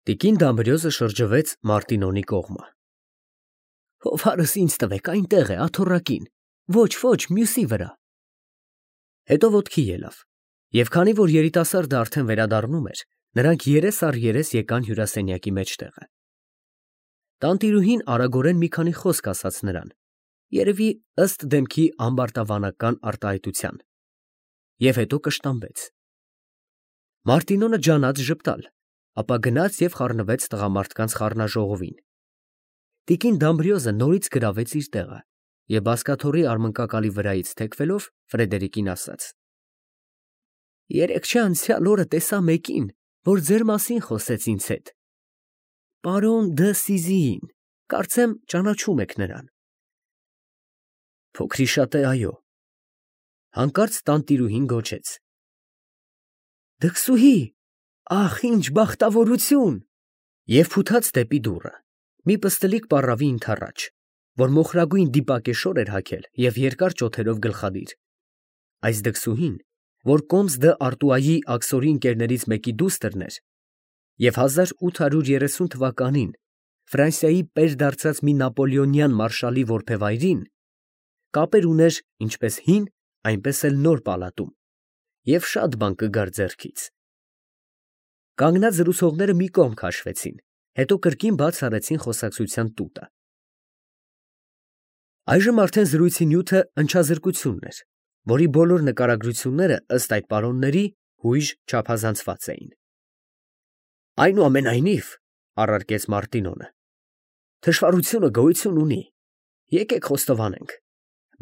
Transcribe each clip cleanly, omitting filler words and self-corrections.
Տիկին Դամբրիոզը շրջվեց Մարտինոնի կողմը։ Հովհարս ինձ տվեք, այնտեղ է, աթոռակին, ոչ, մյուսի վրա։ Հետո ոտքի ելավ, և քանի որ երիտասարդը արդեն վերադառնում էր, նրանք երես առ երես եկան հյուրասենյակի մեջտեղը։ Տանտիրուհին արագորեն մի քանի խոսք ասաց նրան, երևի ըստ դեմքի ամբարտավանական արտահայտության, և հետո կշտամբեց։ Մարտինոնը ջանաց ժպտալ, ապա գնաց և խառնվեց տղամարդկանց խառնաժողովին։ Տիկին Դամբրիոզը նորից գրավեց իր տեղը և բազկաթոռի արմնկակալի վրայից թեքվելով Ֆրեդերիկին ասաց. Երեկ չէ անցյալ օրը տեսա մեկին, որ ձեր մասին խոսեց ինձ հետ, պարոն Դը Սիզիին, կարծեմ ճանաչում եք նրան։ Փոքրիշատե, այո։ Հանկարծ տանտիրուհին գոչեց. Դքսուհի, ախ, ինչ բախտավորություն։ Եվ փութաց դեպի դուռը, մի պստլիկ պառավի ընդառաջ, որ մոխրագույն դիպակեշոր էր հագել և երկար ճոթերով գլխադիր։ Այս դքսուհին, որ կոմս դը Արտուայի աքսորի ընկերներից մեկի դուստրն էր և 1830 թվականին Ֆրանսիայի պերդարձած մի նապոլեոնյան մարշալի որբևայրին, կապեր ուներ ինչպես հին, այնպես էլ նոր պալատում և շատ բան կգար ձեռքից։ Կանգնած զրուցողները մի կողմ քաշվեցին, հետո կրկին բաց արեցին խոսակցության տուտը։ Այժմ արդեն զրույցի նյութը ընչազրկությունն էր, որի բոլոր նկարագրությունները ըստ այդ պարոնների հույժ չափազանցված էին։ Այնուամենայնիվ, առարկեց Մարտինոնը, թշվառությունը գոյություն ունի, եկեք խոստովանենք,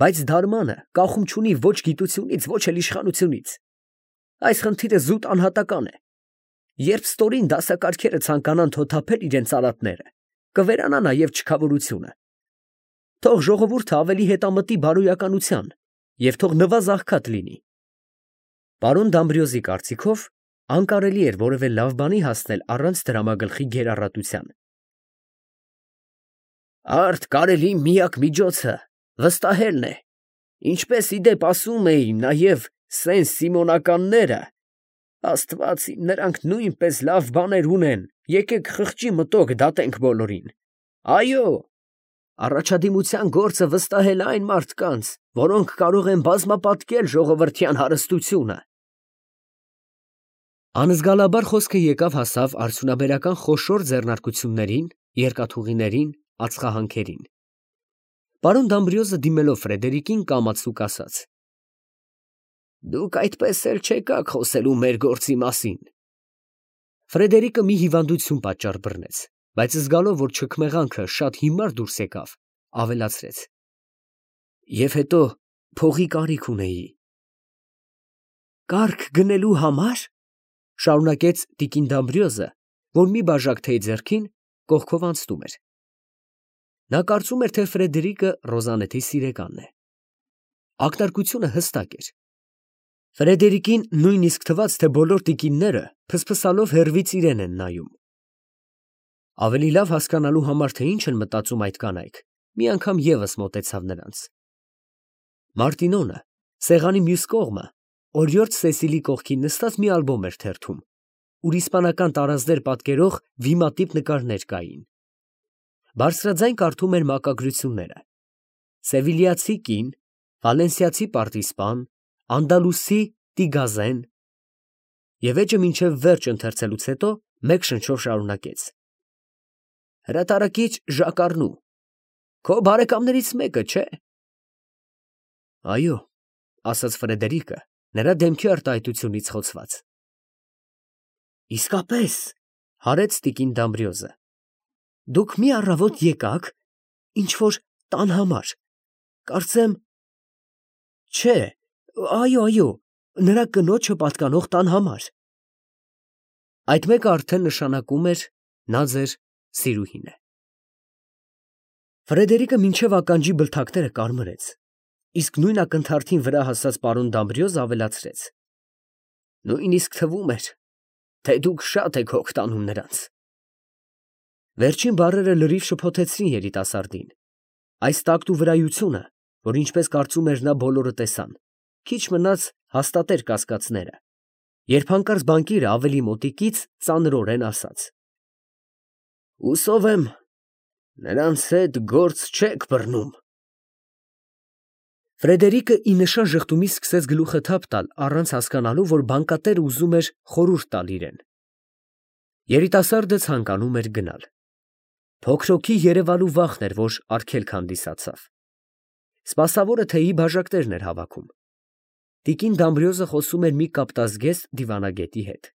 բայց դարմանը կախում չունի ոչ գիտությունից, ոչ էլ իշխանությունից։ Այս խնդիրը զուտ անհատական է։ Երբ ստորին դասակարգերը ցանկանան թոթափել իրենց արատները, կվերանա նաև չքավորությունը։ Թող ժողովուրդը ավելի հետամտի բարոյականության և թող նվազ աղքատ լինի։ Պարոն Դամբրիոզի կարծիքով անկարելի էր որևէ լավ բանի հասնել առանց դրամագլխի գերառատության։ Արդ կարելի միակ միջոցը վստահելն է, ինչպես ի դեպ ասում էին նաև Սեն֊Սիմոնականները, Աստված իմ, նրանք նույնպես լավ բաներ ունեն, եկեք խղճի մտոք դատենք բոլորին։ Այո, առաջադիմության գործը վստահել այն մարդկանց, որոնք կարող են բազմապատկել ժողովրդյան հարստությունը։ Անզգալաբար խոսքը եկավ հասավ արդյունաբերական խոշոր ձեռնարկություններին, երկաթուղիներին, ածխահանքերին։ Պարոն Դամբրիոզը դիմելով Ֆրեդերիկին կամացուկ ասաց. Դուք այդպես էլ չեկաք խոսելու մեր գործի մասին։ Ֆրեդերիկը մի հիվանդություն պատճառ բռնեց, բայց զգալով, որ չքմեղանքը շատ հիմար դուրս եկավ, ավելացրեց. Եվ հետո փողի կարիք ունեի։ Կառք գնելու համար, շարունակեց տիկին Դամբրիոզը, որ մի բաժակ թեյ ձեռքին կողքով անցնում էր։ Նա կարծում էր, թե Ֆրեդերիկը Ռոզանետի սիրեկանն է։ Ակնարկությունը հստակ էր։ Ֆրեդերիկին նույնիսկ թվաց, թե բոլոր տիկինները փսփսալով հեռվից իրեն են նայում։ Ավելի լավ հասկանալու համար, թե ինչ են մտածում այդ կանայք, մի անգամ ևս մոտեցավ նրանց։ Մարտինոնը սեղանի մյուս կողմը օրիորդ Սեսիլի կողքին նստած մի ալբոմ էր թերթում, ուր իսպանական տարազներ պատկերող վիմատիպ նկարներ կային։ Բարձրաձայն կարդում էր մակագրությունները. Սևիլիացի կին, վալենսիացի պարտիզպան, անդալուսի տիգազեն, և էջը մինչև վերջ ընթերցելուց հետո մեկ շնչով շարունակեց. Հրատարակիչ Ժակ Առնու, քո բարեկամներից մեկը, չէ՞։ Այո, ասաց Ֆրեդերիկը, նրա դեմքի արտահայտությունից խոցված։ Իսկապես, հարեց տիկին Դամբրիոզը, դուք մի առավոտ եկաք, ինչ֊որ տան համար, կարծեմ, չէ, այո, նրա կնոջը պատկանող տան համար։ Այդ մեկը արդեն նշանակում էր նա ձեր սիրուհին է։ Ֆրեդերիկը մինչև ականջի բլթակները կարմրեց, իսկ նույն ակնթարթին վրա հասած պարոն Դամբրիոզը ավելացրեց. Նույնիսկ թվում էր, թե դուք շատ եք հոգ տանում նրանց։ Վերջին բառերը լրիվ շփոթեցրին երիտասարդին։ Այս տակտու վրայությունը, որ ինչպես կարծում էր նա բոլորը տեսան, քիչ մնաց հաստատեր կասկածները, երբ հանկարծ բանկիրը ավելի մոտիկից ծանրորեն ասաց. Հուսով եմ, նրանց հետ գործ չեք բռնում։ Ֆրեդերիկը ի նշան ժխտումից սկսեց գլուխը թափ տալ, առանց հասկանալու, որ բանկատերը ուզում էր խորհուրդ տալ իրեն։ Երիտասարդը ցանկանում էր գնալ։ Փոքրոքի երևալու վախն էր, որ արգելք հանդիսացավ։ Սպասավորը թեյի բաժակներն էր հավաքում։ Տիկին Դամբրիոզը խոսում էր մի կապտազգեստ դիվանագետի հետ։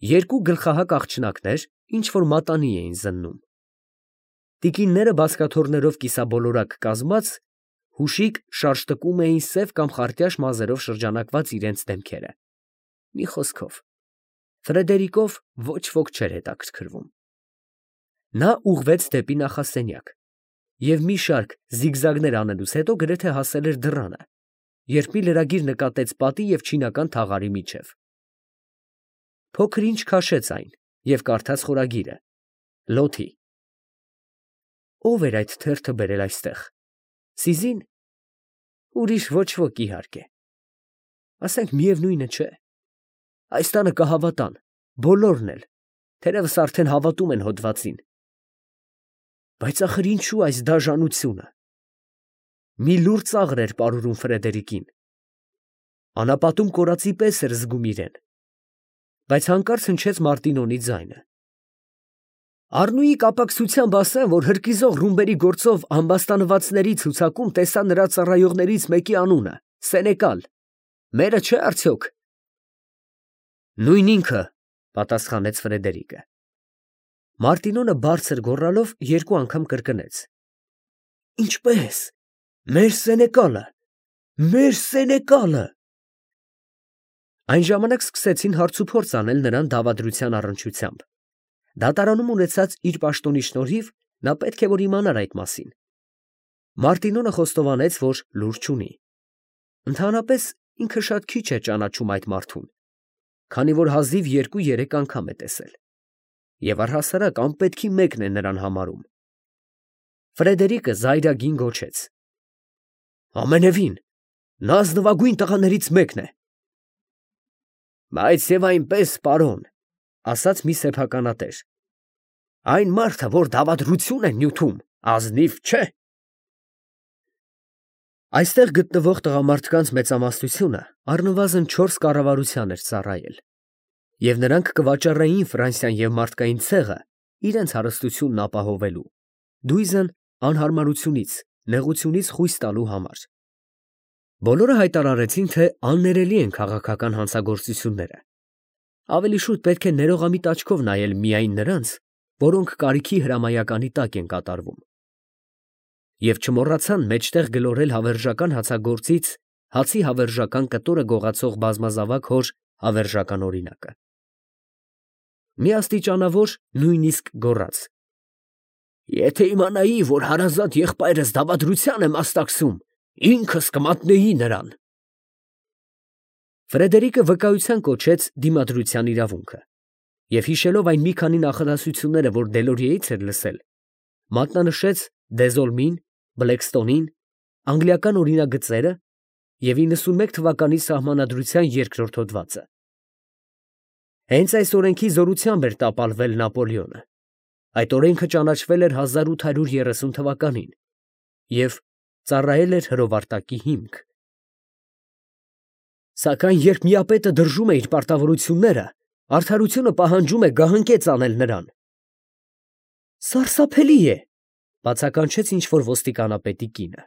Երկու գլխահակ աղջնակներ ինչ-որ մատանի էին զննում։ Տիկինները բազկաթոռներով կիսաբոլորակ կազմած, հուշիկ շարժտկում էին սև կամ խարտյաշ մազերով շրջանակված իրենց դեմքերը։ Մի խոսքով, Ֆրեդերիկով ոչ ոք չէր հետաքրքրվում։ Նա ուղղվեց դեպի նախասենյակ և մի շարք զիգզագներ անելուց հետո գրեթե հասել էր դռանը, երբ մի լրագիր նկատեց պատի և չինական թաղարի միջև։ Փոքր ինչ քաշեց այն և կարդաց խորագիրը. Լոթի։ Ո՞վ էր այդ թերթը բերել այստեղ։ Սիզին։ Ուրիշ ոչ ոք, իհարկե։ Ասենք միևնույնը չէ։ Այս տանը կհավատան, բոլորն էլ, թերևս արդեն հավատում են հոդվածին։ Բայց ախր ինչու այս դաժանությունը։ Մի լուռ ծաղր էր պարուրում Ֆրեդերիկին։ Անապատում կորածի պես էր զգում իրեն։ Բայց հանկարծ հնչեց Մարտինոնի ձայնը։ Առնուի կապակցությամբ ասեմ, որ հրկիզող ռումբերի գործով ամբաստանվածների ցուցակում տեսա նրա ծառայողներից մեկի անունը՝ Սենեկալ։ Մերը չէ՞ արդյոք։ Նույն ինքը, պատասխանեց Ֆրեդերիկը։ Մարտինոնը բարձր գոռալով երկու անգամ կրկնեց. Ինչպե՞ս։ Մեր Սենեկալը։ Մեր Սենեկալը։ Այն ժամանակ սկսեցին հարցուփորձ անել նրան դավադրության առնչությամբ։ Դատարանում ունեցած իր պաշտոնի շնորհիվ նա պետք է որ իմանար այդ մասին։ Մարտինոնը խոստովանեց, որ լուր չունի։ Ընդհանրապես ինքը շատ քիչ է ճանաչում այդ մարդուն, քանի որ հազիվ 2-3 անգամ է տեսել։ Եվ առհասարակ անպետքի մեկն է նրան համարում։ Ֆրեդերիկը զայրագին գոչեց. Ամենևին, նա ազնվագույն տղաներից մեկն է։ Բայց եւ այնպես, պարոն, ասաց մի սեփականատեր, այն մարդը, որ դավադրություն է նյութում, ազնիվ չէ։ Այստեղ գտնվող տղամարդկանց մեծամասնությունը առնվազն 4 կառավարության էր ծառայել, և նրանք կվաճառեին Ֆրանսիան և մարդկային ցեղը իրենց հարստությունն ապահովելու, դույզն անհարմարությունից, նեղությունից խույս տալու համար։ Բոլորը հայտարարեցին, թե աններելի են քաղաքական հանցագործությունները։ Ավելի շուտ պետք է ներողամիտ աչքով նայել միայն նրանց, որոնք կարիքի հրամայականի տակ են կատարվում։ Եվ չմոռացան մեջտեղ գլորել հավերժական հացագործից հացի հավերժական կտորը գողացող բազմազավակ հոր հավերժական օրինակը։ Մի աստիճանավոր նույնիսկ գոռաց. Եթե իմանայի, որ հարազատ եղբայրս դավադրության է մասնակցում, ինքս կմատնեի նրան։ Ֆրեդերիկը վկայության կոչեց դիմադրության իրավունքը և հիշելով այն մի քանի նախադասությունները, որ Դելորիեից էր լսել, մատնանշեց Դեզոլմին, Բլեքստոնին, անգլիական օրինագծերը և 91 թվականի սահմանադրության երկրորդ հոդվածը։ Հենց այս օրենքի զորությամբ էր տապալվել Նապոլեոնը։ Այդ օրենքը ճանաչվել էր 1830 թվականին և ծառայել էր հրովարտակի հիմք։ Սակայն երբ միապետը դրժում է իր պարտավորությունները, արդարությունը պահանջում է գահընկեց անել նրան։ Սարսափելի է, բացականչեց ինչ-որ ոստիկանապետի կինը։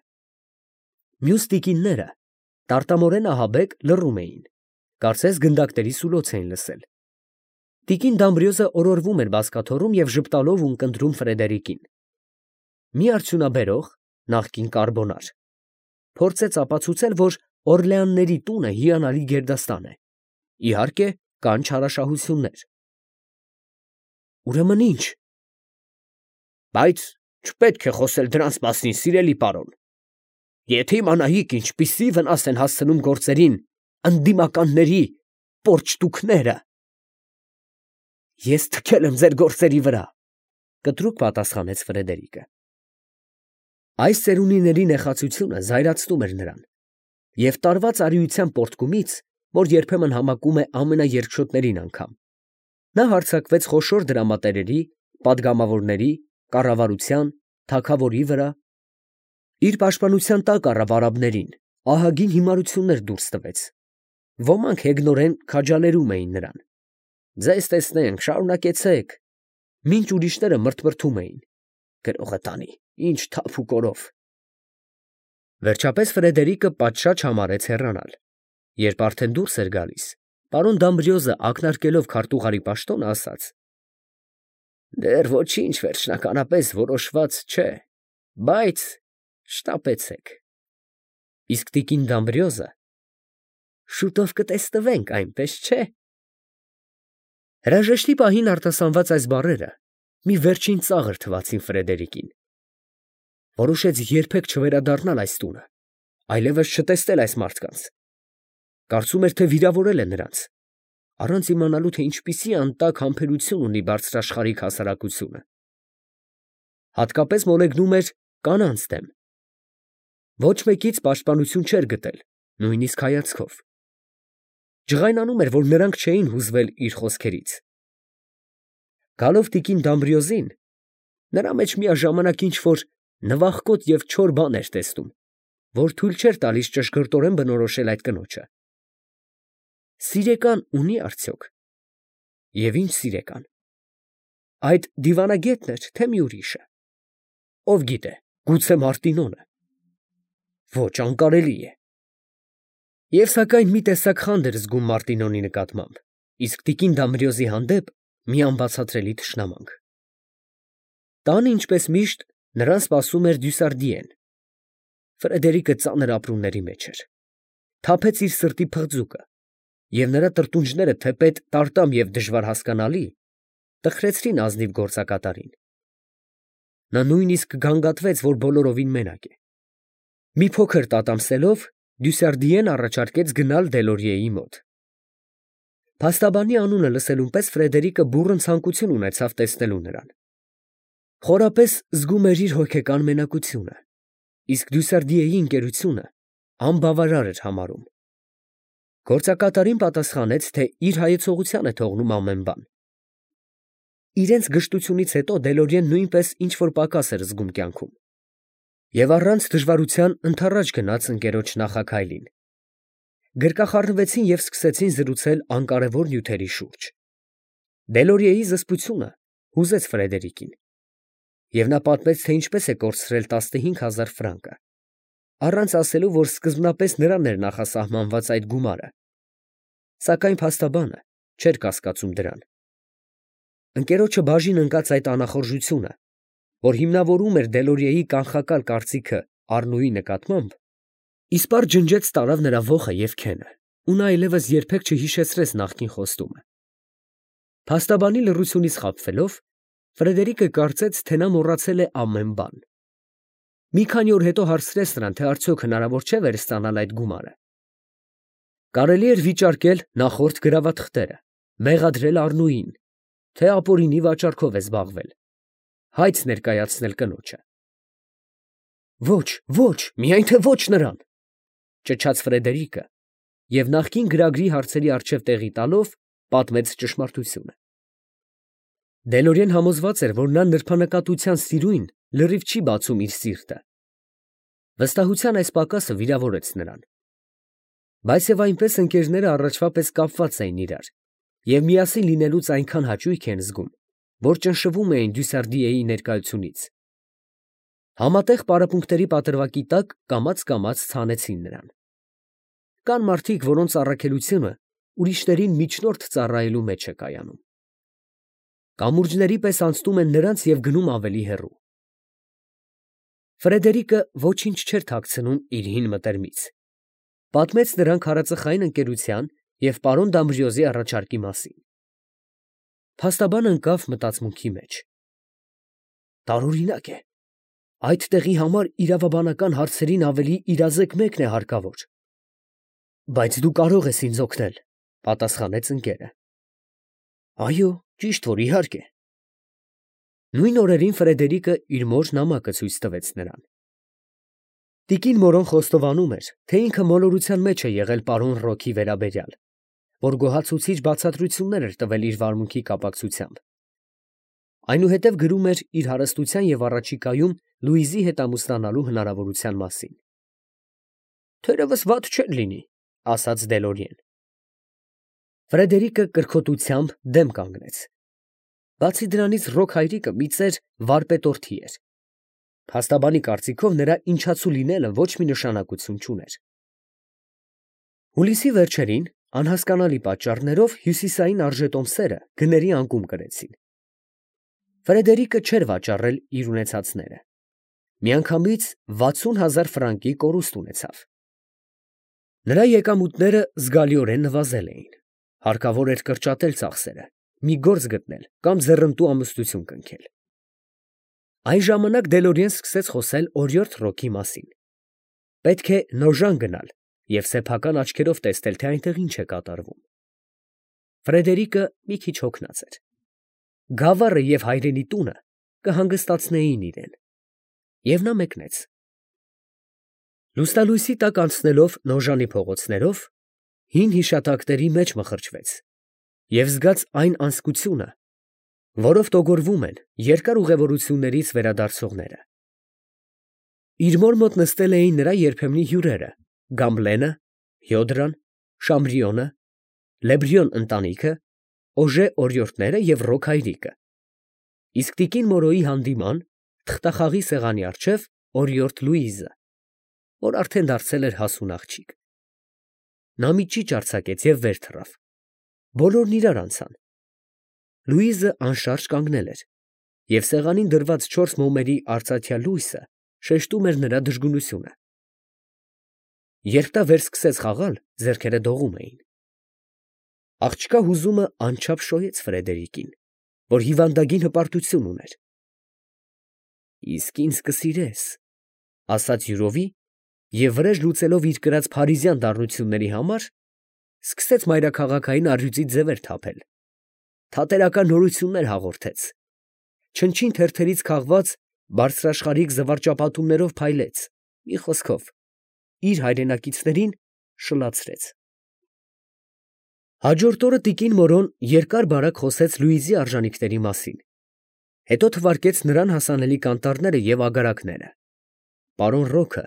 Մյուս տիկինները, տարտամորեն ահաբեկ, լռում էին, կարծես գնդակների սուլոց էին լսել։ Տիկին Դամբրիոզը օրորվում էր բազկաթոռում և ժպտալով ունկնդրում Ֆրեդերիկին։ Մի արդյունաբերող, նախկին կարբոնար, փորձեց ապացուցել, որ Օրլեանների տունը հիանալի գերդաստան է։ Իհարկե, կան չարաշահություններ։ Ուրեմն ի՞նչ։ Բայց չպետք է խոսել դրանց մասին, սիրելի պարոն։ Եթե իմանայիք, ինչպիսի վնաս են հասցնում գործերին ընդդիմականների պորճտուքները։ Ես թքել եմ ձեր գործերի վրա, կտրուկ պատասխանեց Ֆրեդերիկը։ Այս ծերունիների նեխածությունը զայրացնում էր նրան, և տարված արիության պոռթկումից, որ երբեմն համակում է ամենաերգչոտներին անգամ, նա հարձակվեց խոշոր դրամատերերի падգամավորների, կառավարության, թագավորի վրա, իր պաշտպանության տակ առավ արաբներին, ահագին հիմարություններ դուրս տվեց, ոմանք հեգնորեն քաջալերում էին նրան. «Ձեզ տեսնենք, շարունակեցեք», մինչ ուրիշները մրթմրթում էին. «Գրողը տանի, ինչ թափ ու կորով»։ Վերջապես Ֆրեդերիկը պատշաճ համարեց հեռանալ, երբ արդեն դուրս էր գալիս, պարոն Դամբրիոզը ակնարկելով քարտուղարի պաշտոնը, ասաց. «Դեռ ոչինչ վերջնականապես որոշված չէ, բայց շտապեցեք»։ Իսկ տիկին Դամբրիոզը. «Շուտով կտեսնվենք, այնպես չէ»։ Հրաժեշտի պահին արտասանված այս բառերը մի վերջին ծաղր թվացին Ֆրեդերիկին։ Որոշեց երբեք չվերադառնալ այս տունը, այլևս չտեսնել այս մարդկանց։ Կարծում էր, թե վիրավորել է նրանց, առանց իմանալու, թե ինչպիսի անտակ համբերություն ունի բարձրաշխարհիկ հասարակությունը։ Հատկապես մոլեգնում էր կանանց դեմ։ Ոչ մեկից պաշտպանություն չէր գտել, նույնիսկ հայացքով։ Ջղայնանում էր, որ նրանք չէին հուզվել իր խոսքերից։ Գալով տիկին Դամբրիոզին, նրա մեջ միաժամանակ ինչ-որ նվախկոտ և չոր բան էր տեսնում, որ թույլ չէր տալիս ճշգրտորեն բնորոշել այդ կնոջը։ Սիրեկան ունի արդյոք։ Եվ ինչ սիրեկան։ Այդ դիվանագետն էր, թե մի ուրիշը։ Ով գիտե, գուցե Մարտինոնը։ Ոչ, անկարելի է։ Եվ սակայն մի տեսակ խանդ էր զգում Մարտինոնի նկատմամբ, իսկ տիկին Դամբրիոզի հանդեպ մի անբացատրելի թշնամանք։ Տանը, ինչպես միշտ, նրան սպասում էր Դյուսարդիեն։ Ֆրեդերիկը ծանր ապրումների մեջ էր։ Թափեց իր սրտի փղձուկը, և նրա տրտունջները, թեպետ տարտամ և դժվար հասկանալի, տխրեցրին ազնիվ գործակատարին։ Նա նույնիսկ գանգատվեց, որ բոլորովին մենակ է։ Մի փոքր տատամսելով, Դյուսարդիեն առաջարկեց գնալ Դելորիեի մոտ։ Փաստաբանի անունը լսելուն պես Ֆրեդերիկը բուռն ցանկություն ունեցավ տեսնելու նրան։ Խորապես զգում էր իր հոգեկան մենակությունը, իսկ Դյուսարդիեի ընկերությունը անբավարար էր համարում։ Գործակատարին պատասխանեց, թե իր հայեցողության է թողնում ամեն բան։ Իրենց գժտությունից հետո Դելորիեն նույնպես ինչ-որ պակաս էր զգում կյանքում, և առանց դժվարության ընդառաջ գնաց ընկերոջ նախաքայլին։ Գրկախառնվեցին և սկսեցին զրուցել անկարևոր նյութերի շուրջ։ Դելորիեի զսպությունը հուզեց Ֆրեդերիկին, և նա պատմեց, թե ինչպես է կորցրել 15,000 ֆրանկը, առանց ասելու, որ սկզբնապես նրան էր նախասահմանված այդ գումարը, սակայն փաստաբանը չէր կասկածում դրան։ Ընկերոջը բաժին ընկած այդ անախորժությունը, որ հիմնավորում էր Դելորիեի կանխակալ կարծիքը Առնուի նկատմամբ, իսպառ ջնջեց տարավ նրա ոխը և քենը, ու նա այլևս երբեք չհիշեցրեց նախկին խոստումը։ Փաստաբանի լռությունից խաբվելով, Ֆրեդերիկը կարծեց, թե նա մոռացել է ամեն բան։ Մի քանի օր հետո հարցրեց նրան, թե արդյոք հնարավոր չէ վերստանալ այդ գումարը։ Կարելի էր վիճարկել նախորդ գրավաթղթերը, մեղադրել Առնուին, թե ապօրինի վաճառքով է զբաղվել, հայց ներկայացնել կնոջը։ Ոչ, ոչ, միայն թե ոչ նրան, ճչաց Ֆրեդերիկը և նախկին գրագրի հարցերի առջև տեղի տալով պատմեց ճշմարտությունը։ Դելորիեն համոզված էր, որ նա նրբանկատության սիրույն լրիվ չի բացում իր սիրտը։ Վստահության այս պակասը վիրավորեց նրան։ Բայց և այնպես ընկերները առաջվա պես կապված էին իրար և միասին լինելուց այնքան հաճույք են զգում, որ ճնշվում էին Դյուսարդիեի ներկայությունից։ Համատեղ պարապմունքների պատրվակի տակ կամաց ցանեցին նրան։ Կան մարդիկ, որոնց առաքելությունը ուրիշներին միջնորդ ծառայելու մեջ է կայանում։ Կամուրջների պես անցնում են նրանց և գնում ավելի հեռու։ Ֆրեդերիկը ոչինչ չէր թաքցնում իր հին մտերմից։ Պատմեց նրան քարածխային ընկերության և պարոն Դամբրիոզի առաջարկի մասին։ Փաստաբանը ընկավ մտածմունքի մեջ։ Տարօրինակ է, այդ տեղի համար իրավաբանական հարցերին ավելի իրազեկ մեկն է հարկավոր։ Բայց դու կարող ես ինձ օգնել, պատասխանեց ընկերը։ Այո, ճիշտ որ իհարկե։ Նույն օրերին Ֆրեդերիկը իր մոր նամակը ցույց տվեց նրան։ Տիկին Մորոն խոստովանում էր, թե ինքը մոլորության մեջ է եղել պարոն Ռոքի վերաբերյալ, որ գոհացուցիչ բացատրություններ էր տվել իր վարմունքի կապակցությամբ։ Այնուհետև գրում էր իր հարստության և առաջիկայում Լուիզի հետ ամուսնանալու հնարավորության մասին։ «Թերևս վատ չէր լինի», ֊ ասաց Դելորիեն։ Ֆրեդերիկը կրքոտությամբ դեմ կանգնեց։ Բացի դրանից Ռոք հայրիկը մի ծեր վարպետորթի էր։ Փաստաբանի կարծիքով նրա ինչացու լինելը ոչ մի նշանակություն չուներ։ Հուլիսի վերջերին անհասկանալի պատճառներով հյուսիսային արժետոմսերը գների անկում կրեցին։ Ֆրեդերիկը չէր վաճառել իր ունեցածները։ Միանգամից 60,000 ֆրանկի կորուստ ունեցավ։ Նրա եկամուտները զգալիորեն նվազել էին։ Հարկավոր էր կրճատել ծախսերը, մի գործ գտնել կամ ձեռնտու ամուսնություն կնքել։ Այն ժամանակ Դելորիեն սկսեց խոսել օրիորդ Ռոքի մասին։ Պետք է Նոժան գնալ և սեփական աչքերով տեսնել, թե այնտեղ ինչ է կատարվում։ Ֆրեդերիկը մի քիչ հոգնած էր։ Գավառը և հայրենի տունը կհանգստացնեին իրեն։ Եվ նա մեկնեց։ Լուսնալույսի տակ անցնելով Նոժանի փողոցներով, հին հիշատակների մեջ մխրճվեց և զգաց այն անզգությունը, որով տոգորվում են երկար ուղևորություններից վերադարձողները։ Իր մոր մոտ նստել էին նրա երբեմնի հյուրերը՝ Գամլենը, Հյոդրան, Շամրիոնը, Լեբրիոն ընտանիքը, Օժե օրիորդները և Ռոք հայրիկը, իսկ տիկին Մորոյի հանդիման թղթախաղի սեղանի առջև օրիորդ Լուիզը, որ արդեն դարձել էր հասուն աղջիկ։ Նա մի ճիչ արձակեց և վեր թռավ։ Բոլորն իրար անցան։ Լուիզը անշարժ կանգնել էր, և սեղանին դրված 4 մոմերի արծաթյա լույսը շեշտում էր նրա դժգունությունը։ Երբ նա վերսկսեց խաղալ, ձեռքերը դողում էին։ Աղջկա հուզումը անչափ շոյեց Ֆրեդերիկին, որ հիվանդագին հպարտություն ուներ։ «Իսկ ինձ կսիրես», ֊ ասաց յուրովի և վրեժ լուծելով իր կրած փարիզյան դառնությունների համար, սկսեց մայրաքաղաքային առյուծի ձևեր թափել, թատերական նորություններ հաղորդեց, չնչին թերթերից քաղված բարձրաշխարհիկ զվարճապատումներով փայլեց, մի խոսքով, իր հայրենակիցներին շլացրեց։ Հաջորդ օրը տիկին Մորոն երկար֊բարակ խոսեց Լուիզի արժանիքների մասին, հետո թվարկեց նրան հասանելի կանտառները և ագարակները։ Պարոն Ռոքը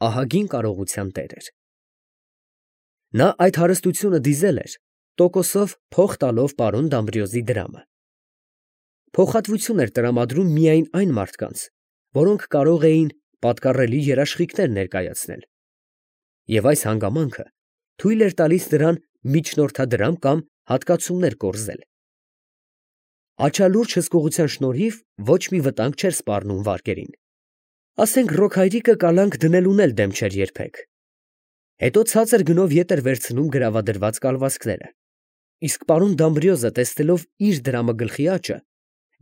ահագին կարողության տեր էր։ Նա այդ հարստությունը դիզել էր տոկոսով փող տալով պարոն Դամբրիոզի դրամը։ Փոխհատվություն էր տրամադրում միայն այն մարդկանց, որոնք կարող էին պատկառելի երաշխիքներ ներկայացնել, և այս հանգամանքը թույլ էր տալիս նրան միջնորդադրամ կամ հատկացումներ կորզել։ Աչալուրջ հսկողության շնորհիվ ոչ մի վտանգ չէր սպառնում վարկերին։ Ասենք Ռոք հայրիկը կալանք դնելուն էլ դեմ չէր երբեք։ Հետո ցածր գնով ետ էր վերցնում գրավադրված կալվածքները, իսկ պարոն Դամբրիոզը, տեսնելով իր դրամը գլխի աճը,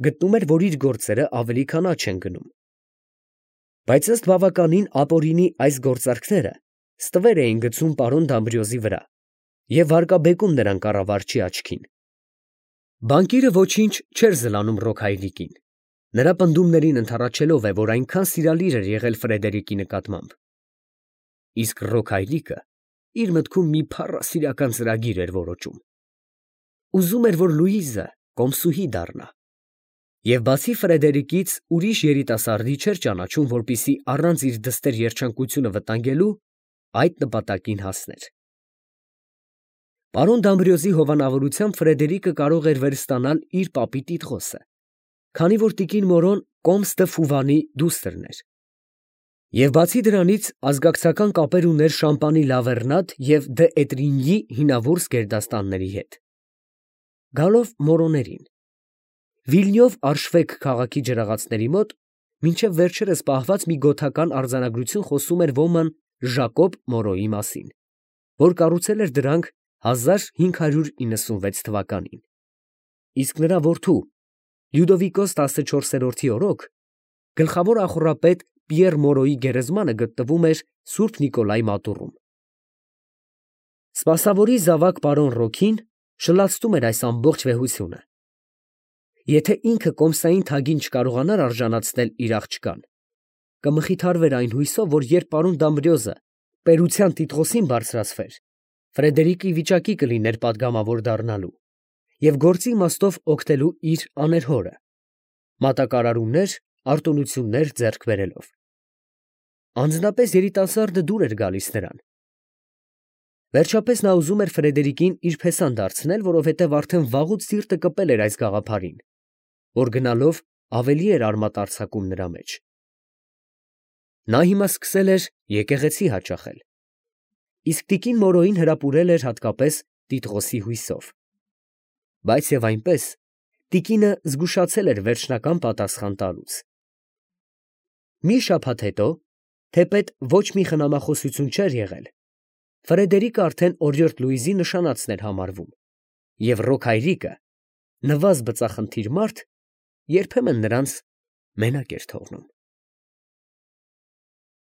գտնում էր, որ իր գործերը ավելի քան աճ են գնում։ Բայց ըստ բավականին ապօրինի այս գործարքները ստվեր էին գցում պարոն Դամբրիոզի վրա և վարկաբեկում նրան կառավարչի աչքին։ Բանկիրը ոչինչ չէր զլանում Ռոք հայրիկին, նրա պնդումներին ընդառաջելով է, որ այնքան սիրալիր էր եղել Ֆրեդերիկի նկատմամբ։ Իսկ Ռոք հայրիկը իր մտքում մի փառասիրական ծրագիր էր որոճում։ Ուզում էր, որ Լուիզը կոմսուհի դառնա, և բացի Ֆրեդերիկից ուրիշ երիտասարդի չէր ճանաչում, որպեսզի առանց իր դստեր երջանկությունը վտանգելու այդ նպատակին հասներ։ Պարոն Դամբրիոզի հովանավորությամբ Ֆրեդերիկը կարող էր վերստանալ իր պապի տիտղոսը, քանի որ տիկին Մորոն կոմս դը Ֆուվանի դուստրն էր, և բացի դրանից ազգակցական կապեր ուներ Շամպանի Լավերնատ և դե Էտրինյի հինավուրց գերդաստանների հետ։ Գալով Մորոներին, Վիլնյով Արշվեկ քաղաքի ջրաղացների մոտ մինչև վերջերս պահված մի գոթական արձանագրություն խոսում էր ոման Ժակոբ Մորոյի մասին, որ կառուցել էր դրանք 1596 թվականին, իսկ նրա որդու Լյուդովիկոս 14-րդի օրոք գլխավոր ախոռապետ Պիեռ Մորոյի գերեզմանը գտնվում էր Սուրբ Նիկոլայ մատուռում։ Սպասավորի զավակ պարոն Ռոքին շլացնում էր այս ամբողջ վեհությունը։ Եթե ինքը կոմսային թագին չկարողանար արժանացնել իր աղջկան, կմխիթարվեր այն հույսով, որ երբ պարոն Դամբրիոզը պետության տիտղոսին բարձրացվեր, Ֆրեդերիկը ի վիճակի կլիներ պատգամավոր դառնալու և գործի իմաստով օգնելու իր աներհորը, մատակարարումներ, արտոնություններ ձեռք բերելով։ Անձնապես երիտասարդը դուր էր գալիս նրան։ Վերջապես նա ուզում էր Ֆրեդերիկին իր փեսան դարձնել, որովհետև արդեն վաղուց սիրտը կպել էր այս գաղափարին, որ գնալով ավելի էր արմատ արձակում նրա մեջ։ Նա հիմա սկսել էր եկեղեցի հաճախել, իսկ տիկին Մորոյին հրապուրել էր հատկապես Տիտղոսի հույսով։ Բայց և այնպես տիկինը զգուշացել էր վերջնական պատասխան տալուց։ Մի շաբաթ հետո, թեպետ ոչ մի խնամախոսություն չէր եղել, Ֆրեդերիկը արդեն օրիորդ Լուիզի նշանածն էր համարվում, և Ռոք հայրիկը, նվազ բծախնդիր մարդ, երբեմն նրանց մենակ էր թողնում։